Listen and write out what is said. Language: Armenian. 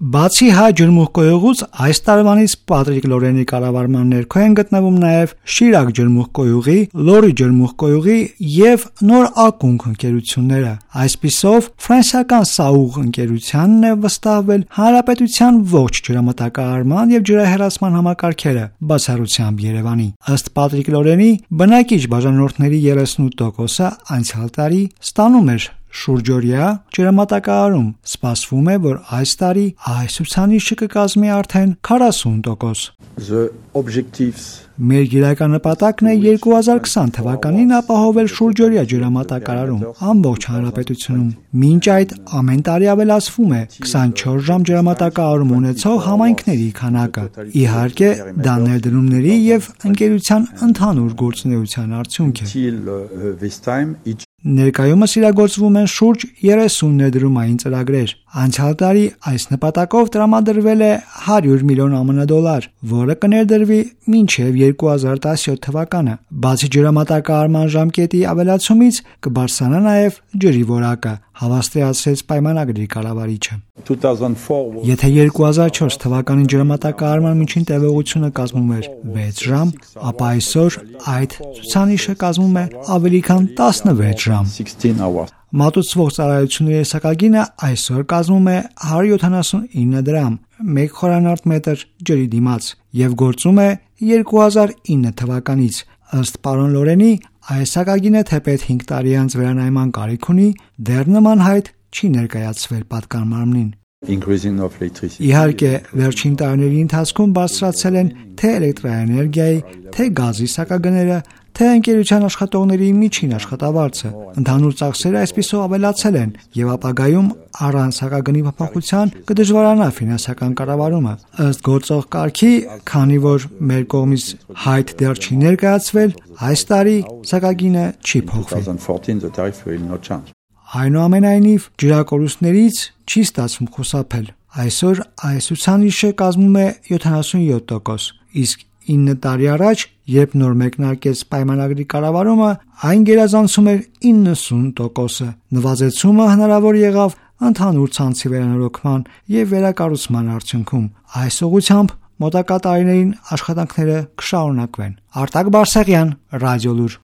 Բացի հայ ջրմուղկոյուղուց այս տարվանից Պատրիկ Լորենի կառավարման ներքո են գտնվում նաև Շիրակ ջրմուղկոյուղի, Լորի ջրմուղկոյուղի և Նոր Ակունք ընկերությունները։ Այսպիսով, ֆրանսիական Սաուղ ընկերությանն է վստահվել հանրապետության ողջ ջրամատակարարման և ջրահեռացման համակարգերը, բացառությամբ Երևանի։ Ըստ Պատրիկ Լորենի, բնակիչ բաժանորդների 38%-ը անցյալ տարի ստանում էր շուրջօրյա ջրամատակարարում։ Սպասվում է, որ այս տարի այս ցուցանիշը կկազմի արդեն 40%։ Մեր գերական նպատակն է 2020 թվականին ապահովել շուրջօրյա ջրամատակարարում ամբողջ հանրապետությունում։ Մինչ այդ ամեն տարի ավելացվում է 24 ժամ ջրամատակարարում ունեցող համայնքների քանակը։ Իհարկե, դա ներդրումների և ընկերության ընդհանուր գործունեության արդյունք է։ Ներկայումս իրագործվում են շուրջ 30 ներդրումային ծրագրեր։ Անցյալ տարի այս նպատակով տրամադրվել է $100 միլիոն, որը կներդրվի մինչև 2017 թվականը։ Բացի ջրամատակարարման ժամկետի ավելացումից կբարձրանա նաև ջրի որակը, հավաստիացրեց պայմանագրի կառավարիչը։ Եթե 2004 թվականին ջրամատակարարման միջին տևողությունը կազմում էր 6 ժամ, ապա այսօր այդ ցուցանիշը կազմում է ավելի քան 16 ժամ։ Մատուցվող ծառայությունների սակագինը այսօր կազմում է 179 դրամ 1 խորանարդ մետր ջրի դիմաց և գործում է 2009 թվականից։ Ըստ պարոն Լորենի, այս սակագինը թեպետ 5 տարի անց վերանայման կարիք ունի, դեռ նման հայտ չի ներկայացվել պատկանամարմնին։ Իհարկե, վերջին տարիների ընթացքում բարձրացել են թե էլեկտրաէներգիայի, թե գազի սակագները, թե ընկերության աշխատողների միջին աշխատավարձը։ Ընդհանուր ծախսերը այսպիսով ավելացել են և ապագայում առանց սակագնի փոփոխության կդժվարանա ֆինանսական կառավարումը։ Ըստ գործող կարգի, քանի որ մեր կողմից հայտ դեռ չի ներկայացվել, այս տարի սակագինը չի փոխվի։ Այնուամենայնիվ, ջրակորուստներից չի ստացվում խուսափել։ Այսօր այս ցուցանիշը կազմում է 77%, իսկ 9 տարի առաջ, երբ նոր մեկնարկեց պայմանագրի կառավարումը, այն գերազանցում էր 90%-ը։ Նվազեցումը հնարավոր եղավ ընդհանուր ցանցի վերանորոգման և վերակառուցման արդյունքում։ Այս ուղղությամբ մոտակա տարիներին աշխատանքները կշարունակվեն։ Արտակ Բարսեղյան, Ռադիոլուր։